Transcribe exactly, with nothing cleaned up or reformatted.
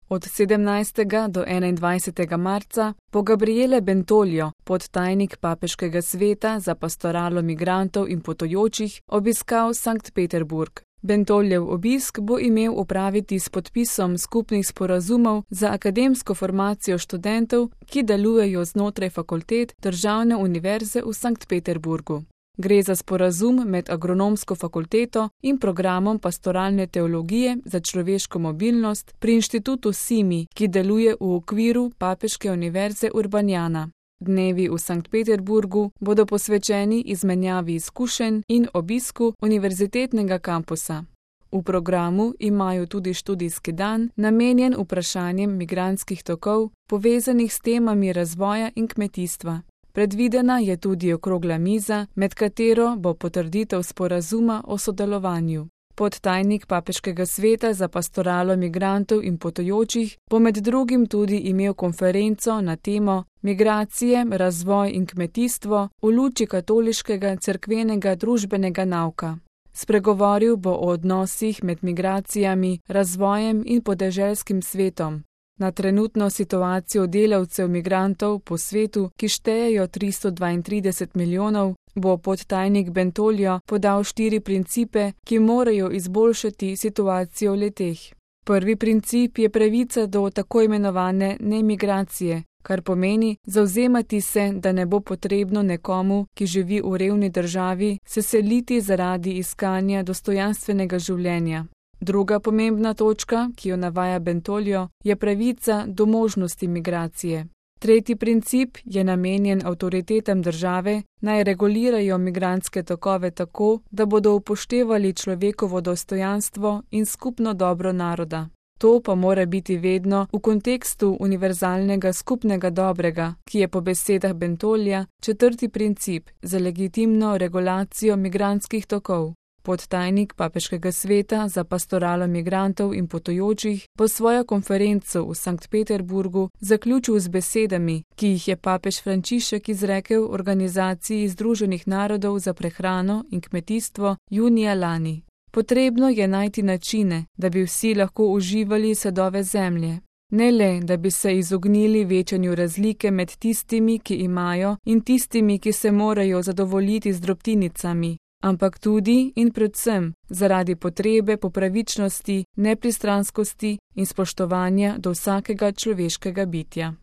Od sedemnajstega do enaindvajsetega marca bo Gabriele Bentolio, podtajnik Papeškega sveta za pastoralo migrantov in potujočih, obiskal Sankt Peterburg. Bentoljev obisk bo imel opraviti s podpisom skupnih sporazumov za akademsko formacijo študentov, ki delujejo znotraj fakultet Državne univerze v Sankt Peterburgu. Gre za sporazum med Agronomsko fakulteto in programom pastoralne teologije za človeško mobilnost pri inštitutu Simi, ki deluje v okviru Papeške univerze Urbaniana. Dnevi v Sankt Peterburgu bodo posvečeni izmenjavi izkušenj in obisku univerzitetnega kampusa. V programu imajo tudi študijski dan, namenjen vprašanjem migrantskih tokov, povezanih s temami razvoja in kmetijstva. Predvidena je tudi okrogla miza, med katero bo potrditev sporazuma o sodelovanju. Podtajnik Papeškega sveta za pastoralo migrantov in potujočih bo med drugim tudi imel konferenco na temo Migracije, razvoj in kmetijstvo v luči katoliškega cerkvenega družbenega nauka. Spregovoril bo o odnosih med migracijami, razvojem in podeželskim svetom. Na trenutno situacijo delavcev migrantov po svetu, ki štejejo tristo dvaintrideset milijonov, bo podtajnik Bentolio podal štiri principe, ki morajo izboljšati situacijo leteh. Prvi princip je pravica do tako imenovane nemigracije, kar pomeni zavzemati se, da ne bo potrebno nekomu, ki živi v revni državi, se seliti zaradi iskanja dostojanstvenega življenja. Druga pomembna točka, ki jo navaja Bentolio, je pravica do možnosti migracije. Tretji princip je namenjen avtoritetam države, naj regulirajo migrantske tokove tako, da bodo upoštevali človekovo dostojanstvo in skupno dobro naroda. To pa mora biti vedno v kontekstu univerzalnega skupnega dobrega, ki je po besedah Bentolija četrti princip za legitimno regulacijo migrantskih tokov. Podtajnik Papeškega sveta za pastoralo migrantov in potujočih bo svojo konferenco v Sankt Peterburgu zaključil z besedami, ki jih je papež Frančišek izrekel Organizaciji Združenih narodov za prehrano in kmetijstvo junija lani. Potrebno je najti načine, da bi vsi lahko uživali sadove zemlje. Ne le, da bi se izognili večanju razlike med tistimi, ki imajo, in tistimi, ki se morajo zadovoljiti z drobtinicami, ampak tudi in predvsem zaradi potrebe po pravičnosti, nepristranskosti in spoštovanja do vsakega človeškega bitja.